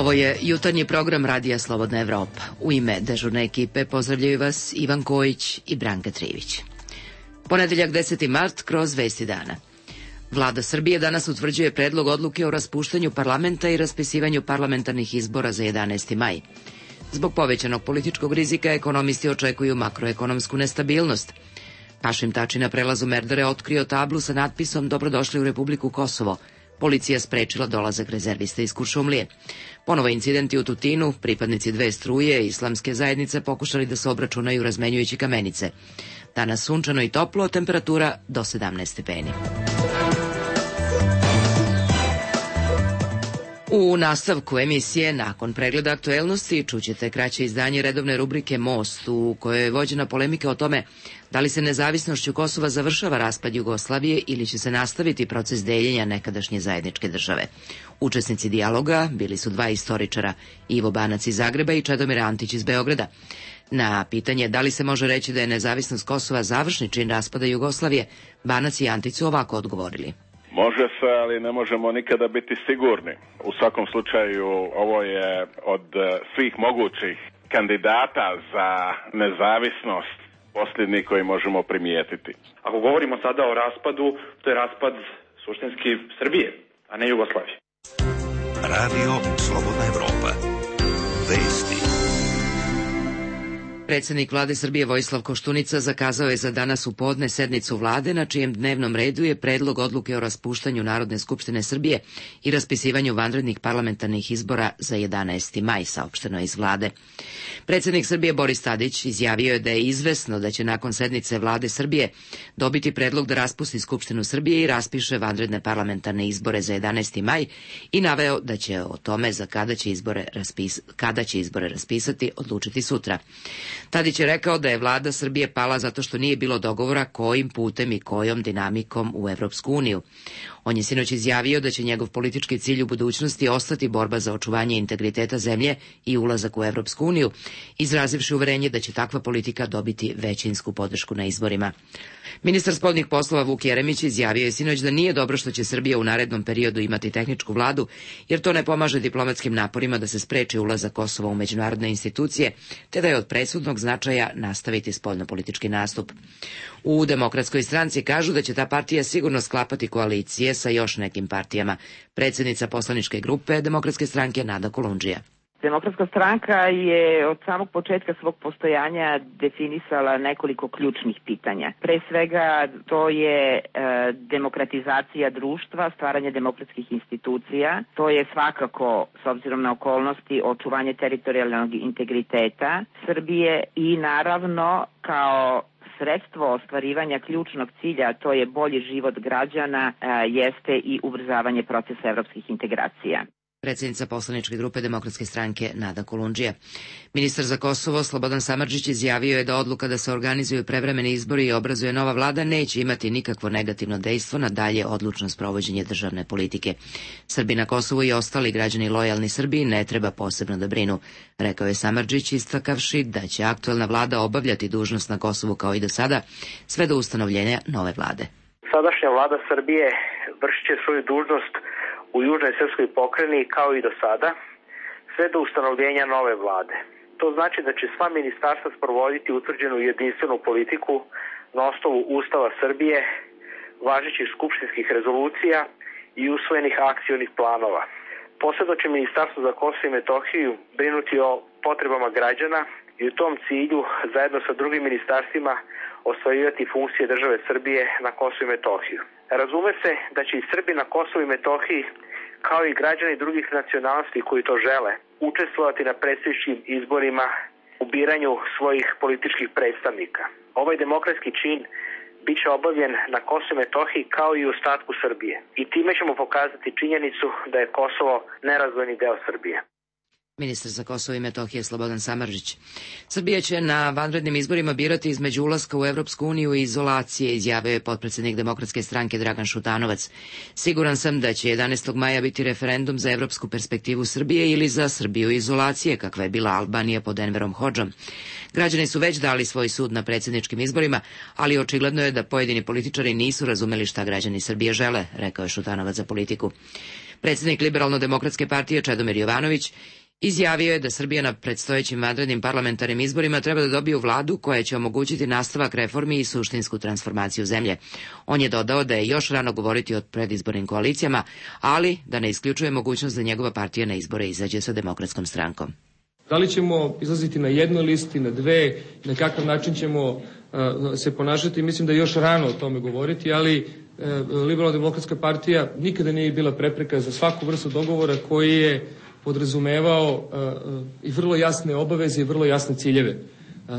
Ovo je jutarnji program Radija Slobodna Evropa. U ime dežurne ekipe pozdravljaju vas Ivan Kojić i Branka Trivić. Ponedeljak 10. mart kroz Vesti dana. Vlada Srbije danas utvrđuje predlog odluke o raspuštanju parlamenta i raspisivanju parlamentarnih izbora za 11. maj. Zbog povećanog političkog rizika ekonomisti očekuju makroekonomsku nestabilnost. Hašim Tači na prelazu Merdare otkrio tablu sa natpisom Dobrodošli u Republiku Kosovo. Policija sprečila dolazak rezervista iz Kuršumlije. Ponovo incidenti u Tutinu, pripadnici dve struje islamske zajednice pokušali da se obračunaju razmenjujući kamenice. Danas sunčano i toplo, temperatura do 17 stepeni. U nastavku emisije, nakon pregleda aktuelnosti, čućete kraće izdanje redovne rubrike Most, u kojoj je vođena polemika o tome da li se nezavisnošću Kosova završava raspad Jugoslavije ili će se nastaviti proces deljenja nekadašnje zajedničke države. Učesnici dijaloga bili su dva istoričara, Ivo Banac iz Zagreba i Čedomir Antić iz Beograda. Na pitanje da li se može reći da je nezavisnost Kosova završni čin raspada Jugoslavije, Banac i Antić su ovako odgovorili. Može se, ali ne možemo nikada biti sigurni. U svakom slučaju, ovo je od svih mogućih kandidata za nezavisnost posljednji koji možemo primijetiti. Ako govorimo sada o raspadu, to je raspad suštinski Srbije, a ne Jugoslavije. Radio Slobodna Evropa. Vesti. Predsjednik Vlade Srbije Vojislav Koštunica zakazao je za danas u podne sednicu Vlade, na čijem dnevnom redu je predlog odluke o raspuštanju Narodne skupštine Srbije i raspisivanju vanrednih parlamentarnih izbora za 11. maj, saopšteno iz Vlade. Predsjednik Srbije Boris Tadić izjavio je da je izvesno da će nakon sednice Vlade Srbije dobiti predlog da raspusti Skupštinu Srbije i raspiše vanredne parlamentarne izbore za 11. maj i naveo da će o tome za kada će izbore raspisati odlučiti sutra. Tadić je rekao da je vlada Srbije pala zato što nije bilo dogovora kojim putem i kojom dinamikom u Evropsku uniju. On je sinoć izjavio da će njegov politički cilj u budućnosti ostati borba za očuvanje integriteta zemlje i ulazak u Evropsku uniju, izrazivši uverenje da će takva politika dobiti većinsku podršku na izborima. Ministar spoljnih poslova Vuk Jeremić izjavio je sinoć da nije dobro što će Srbija u narednom periodu imati tehničku vladu, jer to ne pomaže diplomatskim naporima da se spreči ulazak Kosova u međunarodne institucije, te da je od presudnog značaja nastaviti spoljnopolitički nastup. U Demokratskoj stranci kažu da će ta partija sigurno sklapati koalicije sa još nekim partijama. Predsjednica poslaničke grupe Demokratske stranke Nada Kolundžija. Demokratska stranka je od samog početka svog postojanja definisala nekoliko ključnih pitanja. Pre svega to je demokratizacija društva, stvaranje demokratskih institucija. To je svakako, s obzirom na okolnosti, očuvanje teritorijalnog integriteta Srbije i naravno kao sredstvo ostvarivanja ključnog cilja, to je bolji život građana, jeste i ubrzavanje procesa evropskih integracija. Predsjednica poslaničke grupe Demokratske stranke Nada Kolundžija. Ministar za Kosovo Slobodan Samardžić izjavio je da odluka da se organizuju prevremeni izbori i obrazuje nova vlada neće imati nikakvo negativno dejstvo na dalje odlučno sprovođenje državne politike. Srbi na Kosovu i ostali građani lojalni Srbiji ne treba posebno da brinu, rekao je Samardžić, istakavši da će aktuelna vlada obavljati dužnost na Kosovu kao i do sada, sve do ustanovljenja nove vlade. Sadašnja vlada Srbije vršit će svoju dužnost u južnoj srpskoj pokrajini kao i do sada, sve do ustanovljenja nove vlade. To znači da će sva ministarstva sprovoditi utvrđenu jedinstvenu politiku na osnovu Ustava Srbije, važećih skupštinskih rezolucija i usvojenih akcionih planova. Posebno će Ministarstvo za Kosovo i Metohiju brinuti o potrebama građana i u tom cilju, zajedno sa drugim ministarstvima, ostvarivati funkcije države Srbije na Kosovo i Metohiju. Razume se da će i Srbi na Kosovu i Metohiji, kao i građani drugih nacionalnosti koji to žele, učestvovati na predsjedničkim izborima u biranju svojih političkih predstavnika. Ovaj demokratski čin bit će obavljen na Kosovu i Metohiji kao i u ostatku Srbije. I time ćemo pokazati činjenicu da je Kosovo nerazdvojni deo Srbije. Ministar za Kosovo i Metohije Slobodan Samardžić. Srbija će na vanrednim izborima birati između ulaska u Evropsku uniju i izolacije, izjavio je potpredsjednik Demokratske stranke Dragan Šutanovac. Siguran sam da će 11. maja biti referendum za evropsku perspektivu Srbije ili za Srbiju izolacije, kakva je bila Albanija pod Enverom Hodžom. Građani su već dali svoj sud na predsjedničkim izborima, ali očigledno je da pojedini političari nisu razumeli šta građani Srbije žele, rekao je Šutanovac za Politiku. Predsjednik Liberalno-demokratske partije Čedomir Jovanović izjavio je da Srbija na predstojećim vanrednim parlamentarnim izborima treba da dobije vladu koja će omogućiti nastavak reformi i suštinsku transformaciju zemlje. On je dodao da je još rano govoriti o predizbornim koalicijama, ali da ne isključuje mogućnost da njegova partija na izbore izađe sa Demokratskom strankom. Da li ćemo izlaziti na jednoj listi, na dve, na kakav način ćemo se ponašati, mislim da je još rano o tome govoriti, ali Liberalno-demokratska partija nikada nije bila prepreka za svaku vrstu dogovora koji je podrazumevao i vrlo jasne obaveze i vrlo jasne ciljeve.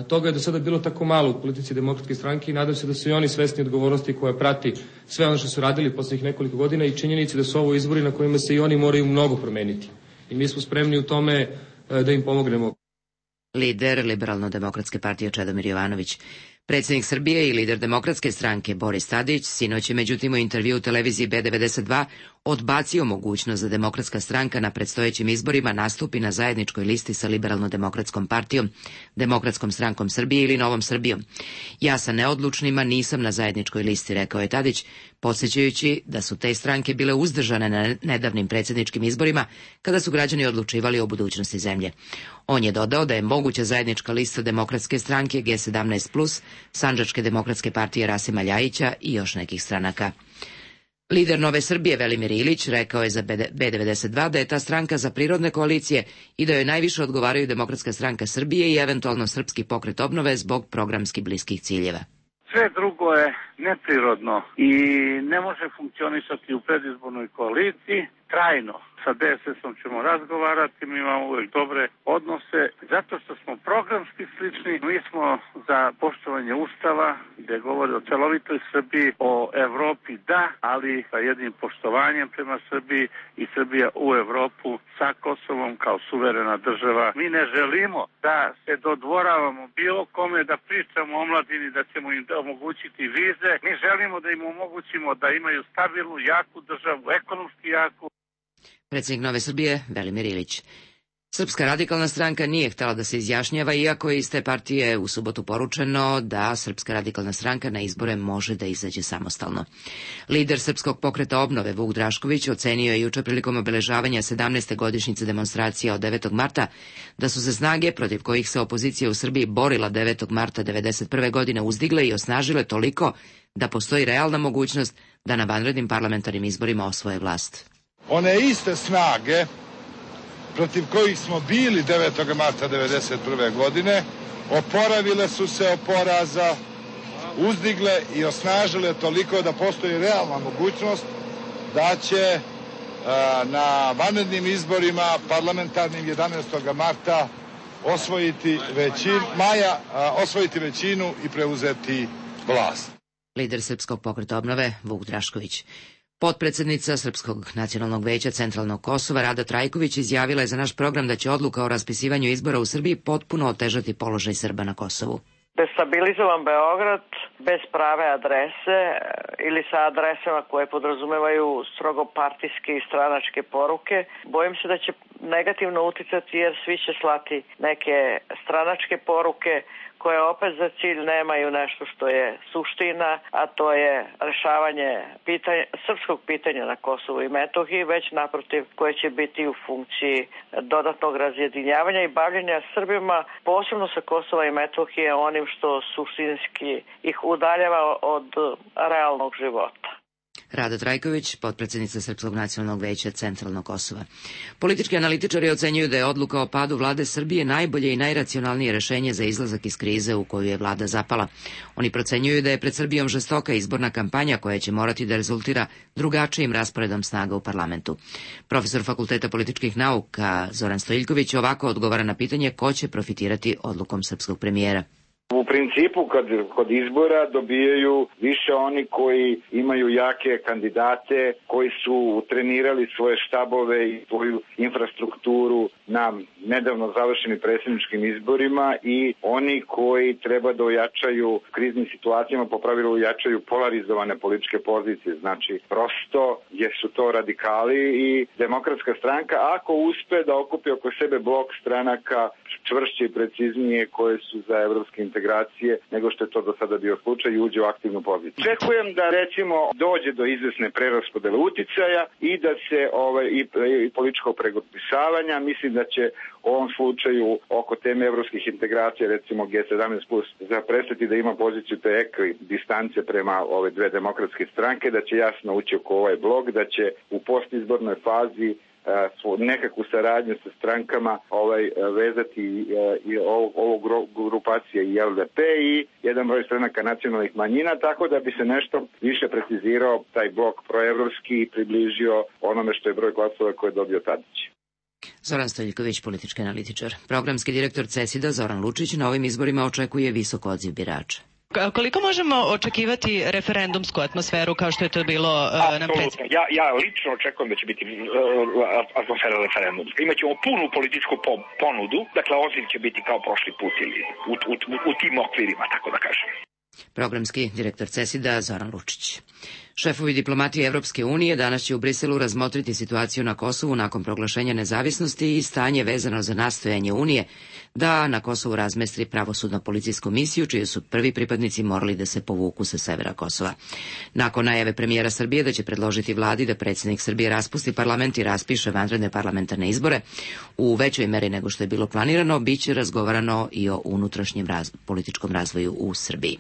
Toga je do sada bilo tako malo u politici Demokratske stranke i nadam se da su i oni svesni odgovornosti koja prati sve ono što su radili poslednjih nekoliko godina i činjenici da su ovo izbori na kojima se i oni moraju mnogo promeniti. I mi smo spremni u tome da im pomognemo. Lider Liberalno-demokratske partije Čedomir Jovanović. Predsjednik Srbije i lider Demokratske stranke Boris Tadić sinoć je međutim u intervju u televiziji B92 odbacio mogućnost da Demokratska stranka na predstojećim izborima nastupi na zajedničkoj listi sa Liberalno-demokratskom partijom, Demokratskom strankom Srbije ili Novom Srbijom. Ja sa neodlučnima nisam na zajedničkoj listi, rekao je Tadić, podsjećajući da su te stranke bile uzdržane na nedavnim predsjedničkim izborima kada su građani odlučivali o budućnosti zemlje. On je dodao da je moguća zajednička lista Demokratske stranke G17+, Sandžačke demokratske partije Rasima Ljajića i još nekih stranaka. Lider Nove Srbije Velimir Ilić rekao je za B92 da je ta stranka za prirodne koalicije i da joj najviše odgovaraju Demokratska stranka Srbije i eventualno Srpski pokret obnove zbog programski bliskih ciljeva. Sve drugo je neprirodno i ne može funkcionisati u predizbornoj koaliciji trajno. Sa DSS-om ćemo razgovarati, mi imamo uvijek dobre odnose, zato što smo programski slični. Mi smo za poštovanje Ustava, gdje govori o celovitoj Srbiji, o Evropi da, ali sa jednim poštovanjem prema Srbiji i Srbija u Evropu sa Kosovom kao suverena država. Mi ne želimo da se dodvoravamo bilo kome, da pričamo o omladini, da ćemo im omogućiti vize. Mi želimo da im omogućimo da imaju stabilnu, jaku državu, ekonomski jaku. Predsjednik Nove Srbije Velimir Ilić. Srpska radikalna stranka nije htjela da se izjašnjava, iako je iz te partije u subotu poručeno da Srpska radikalna stranka na izbore može da izađe samostalno. Lider Srpskog pokreta obnove Vuk Drašković ocenio je juče prilikom obeležavanja 17. godišnjice demonstracija od 9. marta da su se snage protiv kojih se opozicija u Srbiji borila 9. marta 1991. godine uzdigle i osnažile toliko da postoji realna mogućnost da na vanrednim parlamentarnim izborima osvoje vlast. One iste snage protiv kojih smo bili 9. marta 1991. godine oporavile su se od poraza, uzdigle i osnažile toliko da postoji realna mogućnost da će na vanrednim izborima parlamentarnim 11. marta osvojiti većinu i preuzeti vlast. Lider Srpskog pokreta obnove Vuk Drašković. Potpredsjednica Srpskog nacionalnog veća Centralnog Kosova Rada Trajković izjavila je za naš program da će odluka o raspisivanju izbora u Srbiji potpuno otežati položaj Srba na Kosovu. Destabilizovan Beograd bez prave adrese ili sa adresama koje podrazumevaju strogo partijske i stranačke poruke, bojim se da će negativno uticati jer svi će slati neke stranačke poruke koje opet za cilj nemaju nešto što je suština, a to je rešavanje srpskog pitanja na Kosovu i Metohiji, već naprotiv koje će biti u funkciji dodatnog razjedinjavanja i bavljenja Srbima, posebno sa Kosova i Metohije, onim što suštinski ih udaljava od realnog života. Rada Trajković, potpredsjednica Srpskog nacionalnog veća Centralnog Kosova. Politički analitičari ocenjuju da je odluka o padu vlade Srbije najbolje i najracionalnije rešenje za izlazak iz krize u koju je vlada zapala. Oni procenjuju da je pred Srbijom žestoka izborna kampanja koja će morati da rezultira drugačijim rasporedom snaga u parlamentu. Profesor Fakulteta političkih nauka Zoran Stojiljković ovako odgovara na pitanje ko će profitirati odlukom srpskog premijera. U principu kod izbora dobijaju više oni koji imaju jake kandidate, koji su trenirali svoje štabove i svoju infrastrukturu na nedavno završenim predsjedničkim izborima i oni koji treba da ojačaju kriznim situacijama, po pravilu ojačaju polarizovane političke pozicije. Znači, prosto su to radikali i Demokratska stranka, ako uspe da okupi oko sebe blok stranaka čvršće i preciznije koje su za evropske integracije nego što je to do sada bio slučaj i uđe u aktivnu poziciju. Očekujem da recimo dođe do izvesne preraspodele uticaja i da se i političkog pregrupisavanja. Mislim da će u ovom slučaju oko teme evropskih integracija, recimo G17+, prestati da ima poziciju te distance prema ove dve demokratske stranke, da će jasno ući oko ovaj blok, da će u postizbornoj fazi nekakvu saradnju sa strankama vezati i ovo grupacije i LDP i jedan broj stranaka nacionalnih manjina, tako da bi se nešto više precizirao taj blok proevropski i približio onome što je broj glasova koje je dobio Tadić. Zoran Stojiljković, politički analitičar. Programski direktor CESID-a Zoran Lučić na ovim izborima očekuje visok odziv birača. Koliko možemo očekivati referendumsku atmosferu kao što je to bilo na predsjedniku? Ja lično očekujem da će biti atmosfera referendumska. Imaćemo punu političku ponudu, dakle odziv će biti kao prošli put ili u tim okvirima, tako da kažem. Programski direktor CESID-a Zoran Lučić. Šefovi diplomatije Evropske unije danas će u Briselu razmotriti situaciju na Kosovu nakon proglašenja nezavisnosti i stanje vezano za nastojanje Unije da na Kosovu razmestri pravosudno-policijsku misiju, čiji su prvi pripadnici morali da se povuku sa severa Kosova. Nakon najave premijera Srbije da će predložiti vladi da predsjednik Srbije raspusti parlament i raspiše vanredne parlamentarne izbore, u većoj meri nego što je bilo planirano, biće razgovarano i o unutrašnjem političkom razvoju u Srbiji.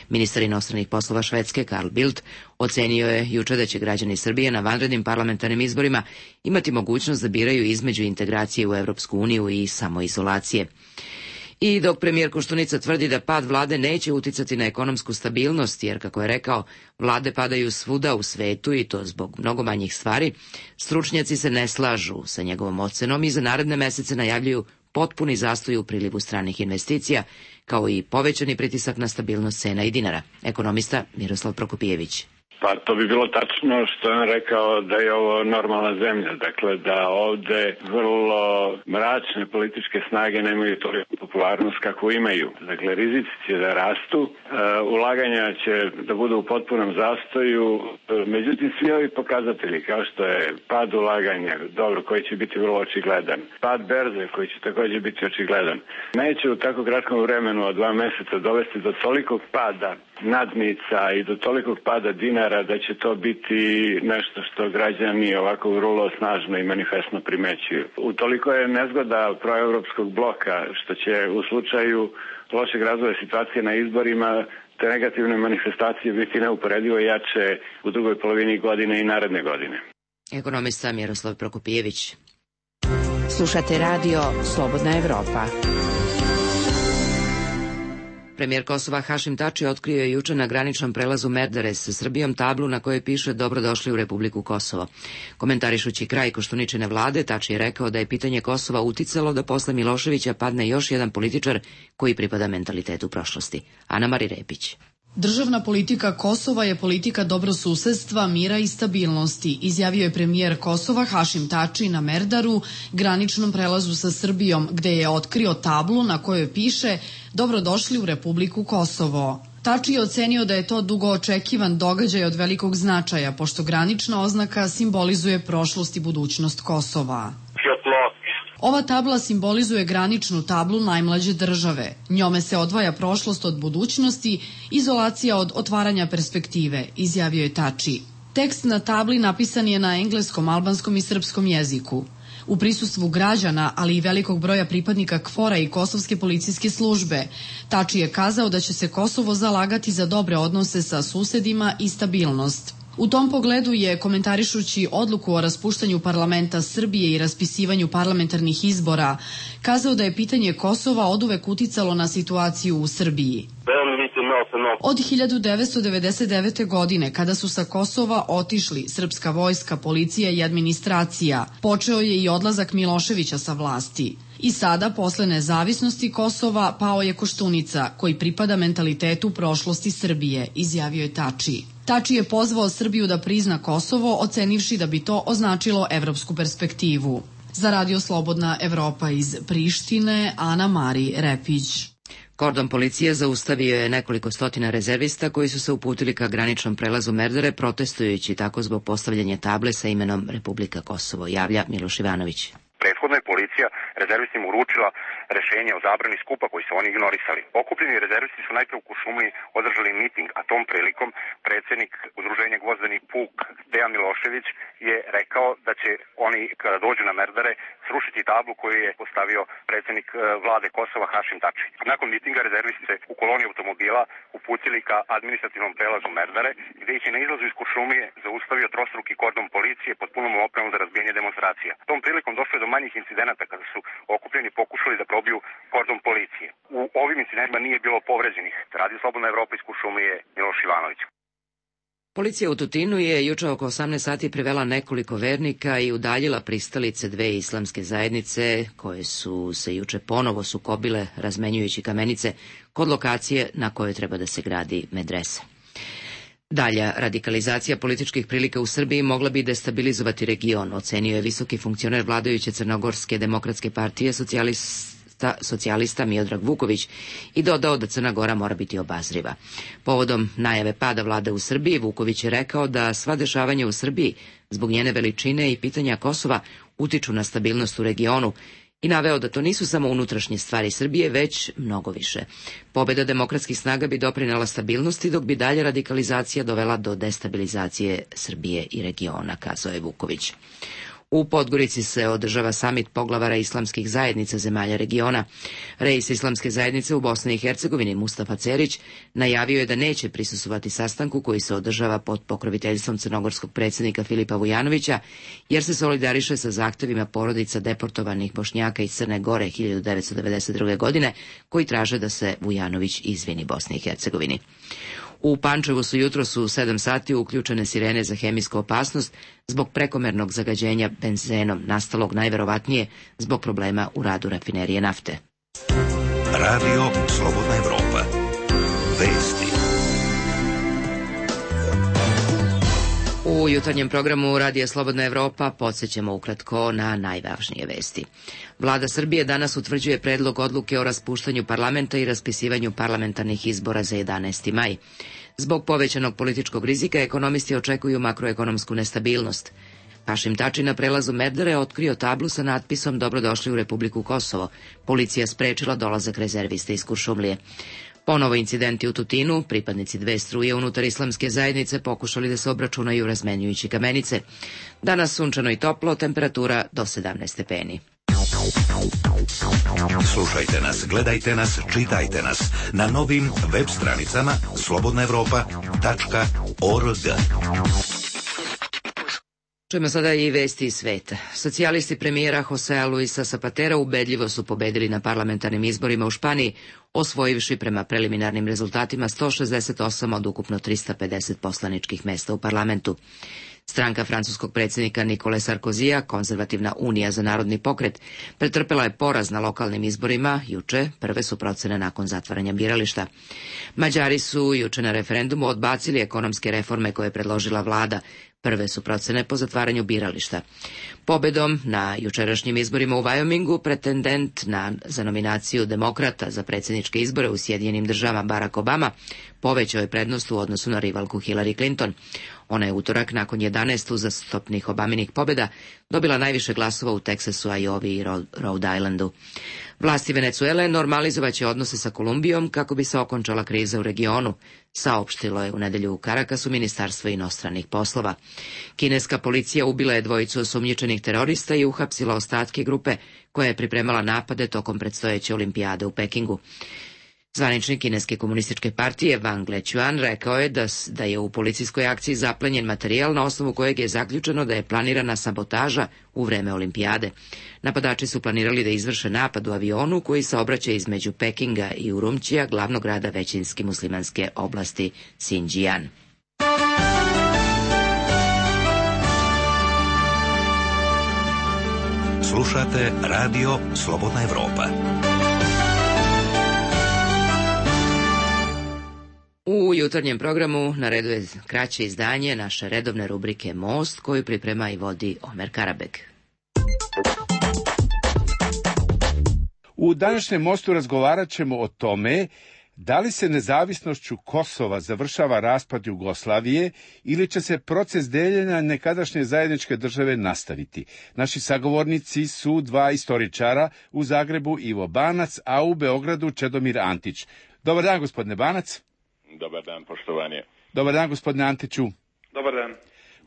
Ministar inostranih poslova Švedske Carl Bildt ocenio je juče da će građani Srbije na vanrednim parlamentarnim izborima imati mogućnost da biraju između integracije u Evropsku uniju i samoizolacije. I dok premijer Koštunica tvrdi da pad vlade neće uticati na ekonomsku stabilnost, jer, kako je rekao, vlade padaju svuda u svetu i to zbog mnogo manjih stvari, stručnjaci se ne slažu sa njegovom ocenom i za naredne mesece najavljuju potpuni zastoj u prilivu stranih investicija, kao i povećani pritisak na stabilnost cena i dinara. Ekonomista Miroslav Prokopijević. Pa to bi bilo tačno što je on rekao da je ovo normalna zemlja, dakle da ovde vrlo mračne političke snage nemaju toliko popularnost kako imaju. Dakle, rizici će da rastu, ulaganja će da budu u potpunom zastoju, međutim svi ovi pokazatelji kao što je pad ulaganja, dobro, koji će biti vrlo očigledan, pad berze koji će također biti očigledan, neće u tako kratkom vremenu od 2 meseca dovesti do tolikog pada nadnica i do tolikog pada dinara da će to biti nešto što građani ovako vrlo snažno i manifestno primećuju. Utoliko je nezgoda proevropskog bloka što će u slučaju lošeg razvoja situacije na izborima te negativne manifestacije biti neuporedivo jače u drugoj polovini godine i naredne godine. Ekonomista Miroslav Prokopijević. Slušate radio Slobodna Evropa. Premijer Kosova Hašim Tači otkrio je juče na graničnom prelazu Merdare sa Srbijom tablu na kojoj piše "Dobrodošli u Republiku Kosovo". Komentarišući kraj Koštuničine vlade, Tači je rekao da je pitanje Kosova uticalo da posle Miloševića padne još jedan političar koji pripada mentalitetu prošlosti. Ana Mari Repić. Državna politika Kosova je politika dobrosusedstva, mira i stabilnosti, izjavio je premijer Kosova Hašim Tači na Merdaru, graničnom prelazu sa Srbijom, gde je otkrio tablu na kojoj piše "Dobrodošli u Republiku Kosovo". Tači je ocenio da je to dugo očekivan događaj od velikog značaja, pošto granična oznaka simbolizuje prošlost i budućnost Kosova. Ova tabla simbolizuje graničnu tablu najmlađe države. Njome se odvaja prošlost od budućnosti, izolacija od otvaranja perspektive, izjavio je Tači. Tekst na tabli napisan je na engleskom, albanskom i srpskom jeziku. U prisustvu građana, ali i velikog broja pripadnika KFOR-a i Kosovske policijske službe, Tači je kazao da će se Kosovo zalagati za dobre odnose sa susedima i stabilnost. U tom pogledu je, komentarišući odluku o raspuštanju parlamenta Srbije i raspisivanju parlamentarnih izbora, kazao da je pitanje Kosova oduvek uticalo na situaciju u Srbiji. Od 1999. godine, kada su sa Kosova otišli srpska vojska, policija i administracija, počeo je i odlazak Miloševića sa vlasti. I sada, posle nezavisnosti Kosova, pao je Koštunica, koji pripada mentalitetu prošlosti Srbije, izjavio je Tači. Tači je pozvao Srbiju da prizna Kosovo, ocenivši da bi to označilo evropsku perspektivu. Za Radio Slobodna Evropa iz Prištine, Ana Mari Repić. Kordon policije zaustavio je nekoliko stotina rezervista koji su se uputili ka graničnom prelazu Merdare, protestujući tako zbog postavljanja table sa imenom Republika Kosovo, javlja Miloš Ivanović. Prethodno je policija rezervistima uručila rešenje o zabrani skupa koji su oni ignorisali. Okupljeni rezervisti su najpre u Kuršumliji održali miting, a tom prilikom predsednik udruženja Gvozdeni puk Dejan Milošević je rekao da će oni kada dođu na Merdare srušiti tablu koju je postavio predsednik vlade Kosova Hašim Tači. Nakon mitinga rezervisti se u koloni automobila uputili ka administrativnom prelazu Merdare, gde ih je na izlazu iz Kuršumlije zaustavio trostruki kordon policije pod punom opremom za razbijanje demonstracija. Tom prilikom došlo je do manjih incidenata kada su okupljeni pokušali da probiju kordon policije. U ovim incidentima nije bilo povređenih. Radio Slobodna Evropa iz Kuršumlije, Miloš Ivanović. Policija u Tutinu je juče oko 18 sati privela nekoliko vernika i udaljila pristalice dve islamske zajednice koje su se juče ponovo sukobile razmenjujući kamenice kod lokacije na kojoj treba da se gradi medresa. Dalja radikalizacija političkih prilika u Srbiji mogla bi destabilizovati region, ocenio je visoki funkcioner vladajuće Crnogorske demokratske partije socijalista Miodrag Vuković i dodao da Crna Gora mora biti obazriva. Povodom najave pada vlade u Srbiji, Vuković je rekao da sva dešavanja u Srbiji zbog njene veličine i pitanja Kosova utiču na stabilnost u regionu i naveo da to nisu samo unutrašnje stvari Srbije, već mnogo više. Pobeda demokratskih snaga bi doprinela stabilnosti, dok bi dalje radikalizacija dovela do destabilizacije Srbije i regiona, kazao je Vuković. U Podgorici se održava samit poglavara islamskih zajednica zemalja regiona. Reis islamske zajednice u Bosni i Hercegovini Mustafa Cerić najavio je da neće prisustvovati sastanku koji se održava pod pokroviteljstvom crnogorskog predsjednika Filipa Vujanovića, jer se solidariše sa zahtevima porodica deportovanih Bošnjaka iz Crne Gore 1992. godine, koji traže da se Vujanović izvini Bosni i Hercegovini. U Pančevu su jutros u 7 sati uključene sirene za hemijsku opasnost zbog prekomernog zagađenja benzenom, nastalog najverovatnije zbog problema u radu rafinerije nafte. Radio Slobodna Evropa. Vesti. U jutarnjem programu Radija Slobodna Evropa podsjećamo ukratko na najvažnije vesti. Vlada Srbije danas utvrđuje predlog odluke o raspuštanju parlamenta i raspisivanju parlamentarnih izbora za 11. maj. Zbog povećanog političkog rizika ekonomisti očekuju makroekonomsku nestabilnost. Hašim Tači na prelazu Merdare otkrio tablu sa natpisom Dobrodošli u Republiku Kosovo. Policija sprečila dolazak rezervista iz Kuršumlije. Ponovo incidenti u Tutinu, pripadnici dve struje unutar islamske zajednice pokušali da se obračunaju razmenjujući kamenice. Danas sunčano i toplo, temperatura do 17 stepeni. Slušajte nas, gledajte nas, čitajte nas na novim web stranicama slobodnaevropa.org. Čujemo sada i vesti iz sveta. Socijalisti premijera Josea Luisa Zapatera ubedljivo su pobedili na parlamentarnim izborima u Španiji, osvojivši prema preliminarnim rezultatima 168 od ukupno 350 poslaničkih mesta u parlamentu. Stranka francuskog predsjednika Nikole Sarkozija, Konzervativna unija za narodni pokret, pretrpela je poraz na lokalnim izborima juče, prve su procene nakon zatvaranja birališta. Mađari su juče na referendumu odbacili ekonomske reforme koje je predložila vlada, prve su procene po zatvaranju birališta. Pobedom na jučerašnjim izborima u Wyomingu pretendent za nominaciju demokrata za predsjedničke izbore u Sjedinjenim državama Barack Obama povećao je prednost u odnosu na rivalku Hillary Clinton. Ona je utorak nakon 11 uzastopnih Obaminih pobjeda dobila najviše glasova u Teksasu, Iowi i Rhode Islandu. Vlasti Venecuele normalizovaće odnose sa Kolumbijom kako bi se okončala kriza u regionu, saopštilo je u nedelju u Karakasu Ministarstvo inostranih poslova. Kineska policija ubila je dvojicu osumnjičenih terorista i uhapsila ostatke grupe koja je pripremala napade tokom predstojeće olimpijade u Pekingu. Zvaničnik Kineske komunističke partije Wang Lechuan rekao je da je u policijskoj akciji zaplenjen materijal na osnovu kojeg je zaključeno da je planirana sabotaža u vreme olimpijade. Napadači su planirali da izvrše napad u avionu koji saobraća između Pekinga i Urumčija, glavnog grada većinski muslimanske oblasti Xinjiang. Slušate Radio Slobodna Evropa. U jutarnjem programu na redu je kraće izdanje naše redovne rubrike Most, koju priprema i vodi Omer Karabek. U današnjem mostu razgovarat ćemo o tome da li se nezavisnošću Kosova završava raspad Jugoslavije ili će se proces deljenja nekadašnje zajedničke države nastaviti. Naši sagovornici su dva istoričara, u Zagrebu Ivo Banac, a u Beogradu Čedomir Antić. Dobar dan, gospodine Banac. Dobar dan, poštovanje. Dobar dan, gospodine Antiću. Dobar dan.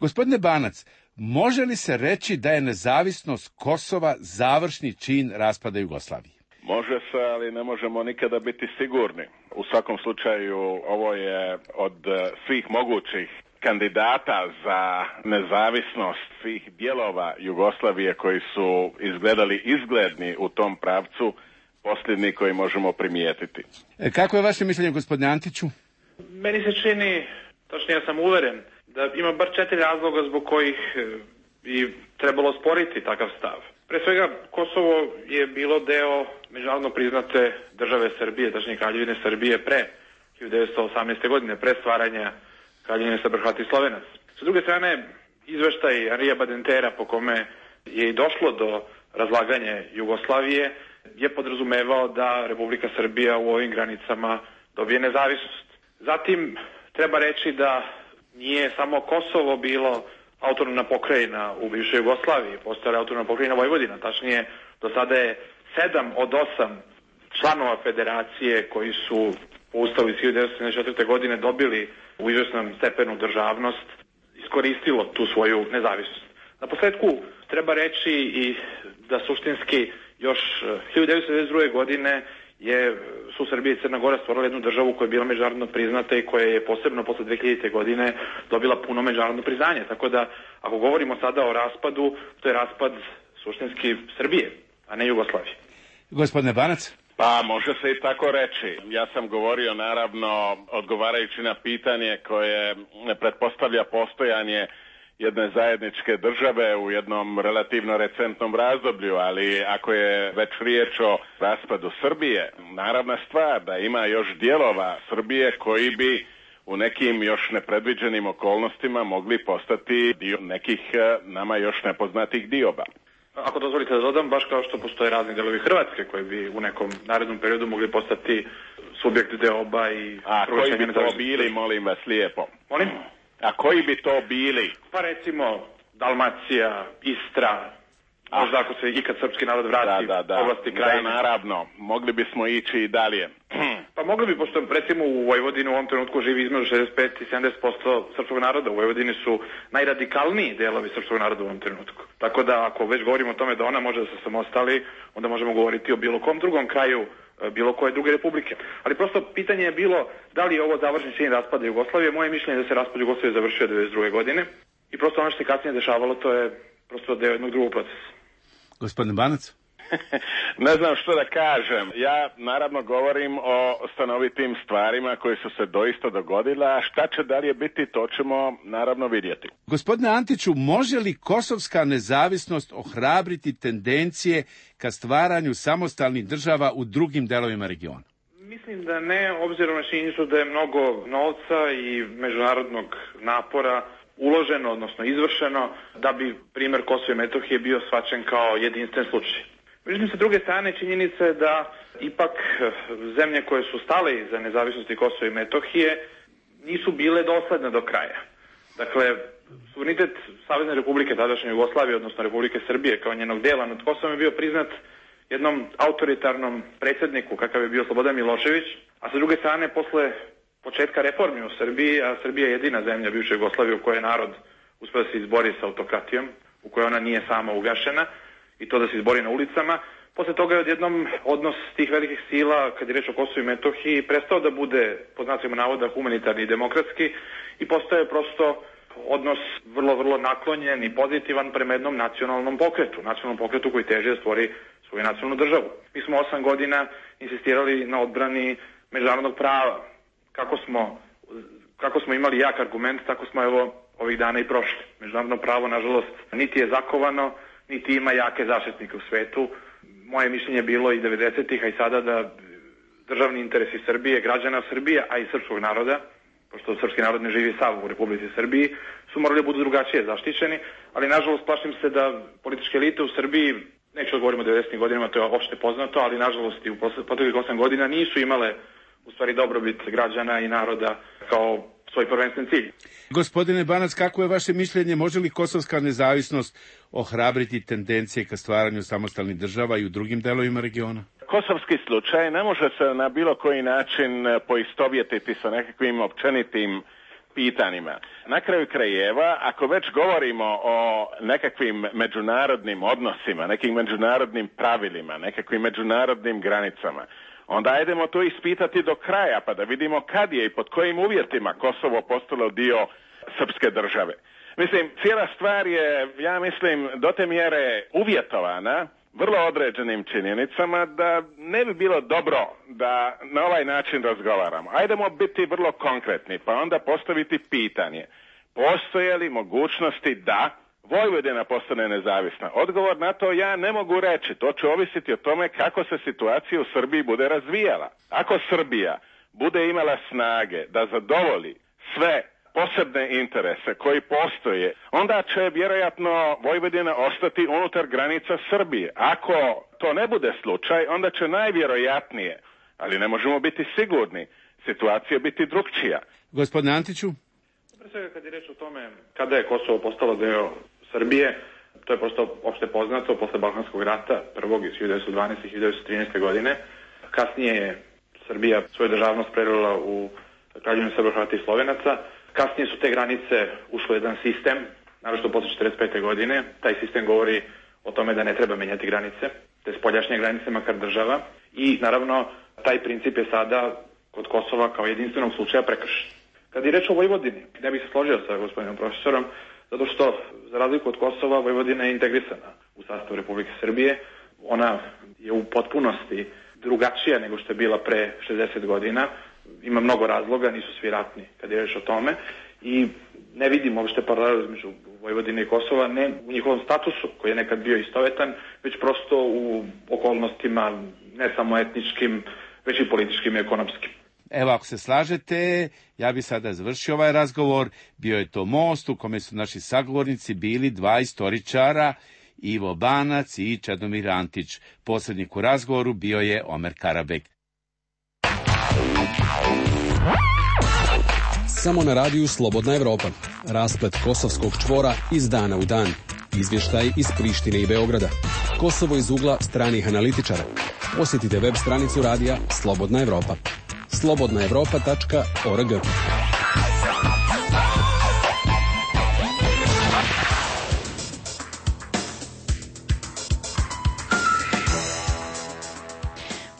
Gospodine Banac, može li se reći da je nezavisnost Kosova završni čin raspada Jugoslavije? Može se, ali ne možemo nikada biti sigurni. U svakom slučaju, ovo je od svih mogućih kandidata za nezavisnost svih dijelova Jugoslavije koji su izgledali izgledni u tom pravcu, posljednji koji možemo primijetiti. Kako je vaše mišljenje, gospodine Antiću? Meni se čini, točnije ja sam uveren, da ima bar 4 razloga zbog kojih bi trebalo sporiti takav stav. Pre svega, Kosovo je bilo deo međunarodno priznate države Srbije, tačnije Kraljevine Srbije pre 1918. godine, pre stvaranja Kraljevine Srba, Hrvata i Slovenac. Sa druge strane, izveštaj Anrija Badentera po kome je i došlo do razlaganja Jugoslavije je podrazumevao da Republika Srbija u ovim granicama dobije nezavisnost. Zatim, treba reći da nije samo Kosovo bilo autonomna pokrajina u bivšoj Jugoslaviji, postojala autonomna pokrajina Vojvodina, tačnije do sada je 7 od 8 članova federacije koji su po ustavu iz 1974. godine dobili u izvesnom stepenu državnost, iskoristilo tu svoju nezavisnost. Na posledku treba reći i da suštinski još 1992. godine su Srbija i Crna Gora stvorila jednu državu koja je bila međunarodno priznata i koja je posebno posle 2000. godine dobila puno međunarodno priznanje. Tako da, ako govorimo sada o raspadu, to je raspad suštinski Srbije, a ne Jugoslavije. Gospodine Banac? Pa, može se i tako reći. Ja sam govorio, naravno, odgovarajući na pitanje koje pretpostavlja postojanje jedne zajedničke države u jednom relativno recentnom razdoblju, ali ako je već riječ o raspadu Srbije, naravna stvar da ima još dijelova Srbije koji bi u nekim još nepredviđenim okolnostima mogli postati dio nekih nama još nepoznatih dioba. Ako dozvolite da dodam, baš kao što postoje razni delovi Hrvatske koji bi u nekom narednom periodu mogli postati subjekt deoba i... A koji bi to bili, molim vas lijepo? Molim? A koji bi to bili? Pa recimo Dalmacija, Istra, možda ako se ikad srpski narod vrati oblasti krajine. Da, naravno, mogli bismo ići i dalje. Pa mogli bi, pošto recimo u Vojvodini u ovom trenutku živi između 65 i 70% srpskog naroda. U Vojvodini su najradikalniji delovi srpskog naroda u ovom trenutku. Tako da ako već govorimo o tome da ona može da se samostali, onda možemo govoriti o bilo kom drugom kraju bilo koje druge republike. Ali prosto pitanje je bilo da li je ovo završni čin raspada Jugoslavije. Moje mišljenje je da se raspad Jugoslavije završio 1992. godine i prosto ono što se kasnije dešavalo, to je prosto deo jednog drugog procesa. Gospodin Banac? Ne znam što da kažem. Ja naravno govorim o stanovitim stvarima koje su se doista dogodile, a šta će dalje biti, to ćemo naravno vidjeti. Gospodine Antiću, može li kosovska nezavisnost ohrabriti tendencije ka stvaranju samostalnih država u drugim delovima regiona? Mislim da ne, obzirom na činjenicu da je mnogo novca i međunarodnog napora uloženo, odnosno izvršeno, da bi primjer Kosova i Metohije bio shvaćen kao jedinstven slučaj. Međutim, sa druge strane, činjenica je da ipak zemlje koje su stale iza nezavisnosti Kosova i Metohije nisu bile dosledne do kraja. Dakle, suverenitet Savezne Republike, tadašnje Jugoslavije, odnosno Republike Srbije, kao njenog dela nad Kosovom je bio priznat jednom autoritarnom predsjedniku, kakav je bio Slobodan Milošević, a sa druge strane, posle početka reformi u Srbiji, a Srbija je jedina zemlja bivše Jugoslavije u kojoj je narod uspio da se izbori sa autokratijom, u kojoj ona nije sama ugašena, i to da se izbori na ulicama. Posle toga je odjednom odnos tih velikih sila, kad je reč o Kosovu i Metohiji, prestao da bude, pod znacima navoda, humanitarni i demokratski i postao je prosto odnos vrlo naklonjen i pozitivan prema jednom nacionalnom pokretu koji teže da stvori svoju nacionalnu državu. Mi smo 8 godina insistirali na odbrani međunarodnog prava. Kako smo imali jak argument, tako smo evo ovih dana i prošli. Međunarodno pravo, nažalost, niti je zakovano, niti ima jake zaštitnike u svetu. Moje mišljenje je bilo i 90-ih, a i sada da državni interesi Srbije, građana Srbije, a i srpskog naroda, pošto srpski narod ne živi sav u Republici Srbiji, su morali da budu drugačije zaštićeni, ali nažalost plašim se da političke elite u Srbiji neću da govorimo o 90. godinama, to je opšte poznato, ali nažalost i u proteklih 8 godina nisu imale u stvari dobrobit građana i naroda kao svoj prvenstven cilj. Gospodine Banac, kako je vaše mišljenje, može li kosovska nezavisnost ohrabriti tendencije ka stvaranju samostalnih država i u drugim delovima regiona? Kosovski slučaj ne može se na bilo koji način poistovjetiti sa nekakvim općenitim pitanjima. Na kraju krajeva, ako već govorimo o nekakvim međunarodnim odnosima, nekim međunarodnim pravilima, nekakvim međunarodnim granicama, onda ajdemo to ispitati do kraja, pa da vidimo kad je i pod kojim uvjetima Kosovo postalo dio srpske države. Mislim, cijela stvar je, ja mislim, do te mjere uvjetovana vrlo određenim činjenicama da ne bi bilo dobro da na ovaj način razgovaramo. Ajdemo biti vrlo konkretni, pa onda postaviti pitanje. Postoje li mogućnosti da Vojvodina postane nezavisna? Odgovor na to ja ne mogu reći. To će ovisiti o tome kako se situacija u Srbiji bude razvijala. Ako Srbija bude imala snage da zadovolji sve posebne interese koji postoje, onda će vjerojatno Vojvodina ostati unutar granica Srbije. Ako to ne bude slučaj, onda će najvjerojatnije, ali ne možemo biti sigurni, situacija biti drugčija. Gospodine Antiću? Pre svega kad je reč o tome kada je Kosovo postalo deo Srbije, to je prosto opšte poznato posle Balkanskog rata, prvog iz 1912. i 1913. godine. Kasnije je Srbija svoju državnost prelila u Kraljevinu Srba, Hrvata i Slovenaca. Kasnije su te granice ušle u jedan sistem, naročito posle 1945. godine. Taj sistem govori o tome da ne treba menjati granice, te spoljašnje granice makar država. I naravno, taj princip je sada kod Kosova kao jedinstvenog slučaja prekršen. Kad je reč o Vojvodini, ne bih se složio sa gospodinom profesorom, zato što, za razliku od Kosova, Vojvodina je integrisana u sastavu Republike Srbije. Ona je u potpunosti drugačija nego što je bila pre 60 godina. Ima mnogo razloga, nisu svi ratni kad je reč o tome. I ne vidim uopšte paralelu između Vojvodine i Kosova, ne u njihovom statusu, koji je nekad bio istovetan, već prosto u okolnostima ne samo etničkim, već i političkim i ekonomskim. Evo, ako se slažete, ja bi sada završio ovaj razgovor. Bio je to most u kome su naši sagovornici bili dva istoričara, Ivo Banac i Čedomir Antić. Posrednik u razgovoru bio je Omer Karabek. Samo na radiju Slobodna Evropa. Rasplet kosovskog čvora iz dana u dan. Izvještaj iz Prištine i Beograda. Kosovo iz ugla stranih analitičara. Posjetite web stranicu radija Slobodna Evropa. slobodnaevropa.org.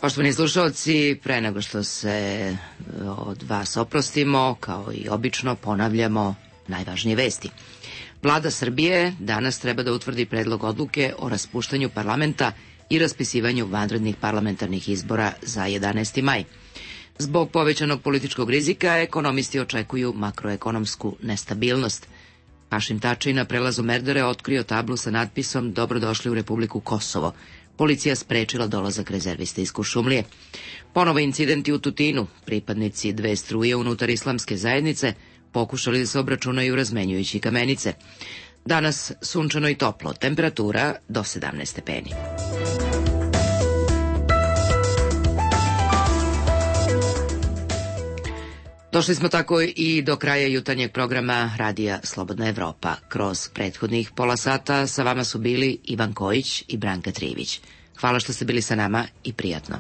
Poštovani slušalci, pre nego što se od vas oprostimo, kao i obično, ponavljamo najvažnije vesti. Vlada Srbije danas treba da utvrdi predlog odluke o raspuštanju parlamenta i raspisivanju vanrednih parlamentarnih izbora za 11. maj. Zbog povećanog političkog rizika, ekonomisti očekuju makroekonomsku nestabilnost. Hašim Tači na prelazu Merdare otkrio tablu sa natpisom "Dobrodošli u Republiku Kosovo". Policija sprečila dolazak rezervista iz Kuršumlije. Ponovo incidenti u Tutinu. Pripadnici dve struje unutar islamske zajednice pokušali da se obračunaju razmenjujući kamenice. Danas sunčano i toplo, temperatura do 17 stepeni. Došli smo tako i do kraja jutarnjeg programa Radija Slobodna Evropa. Kroz prethodnih pola sata sa vama su bili Ivan Kojić i Branka Trivić. Hvala što ste bili sa nama i prijatno.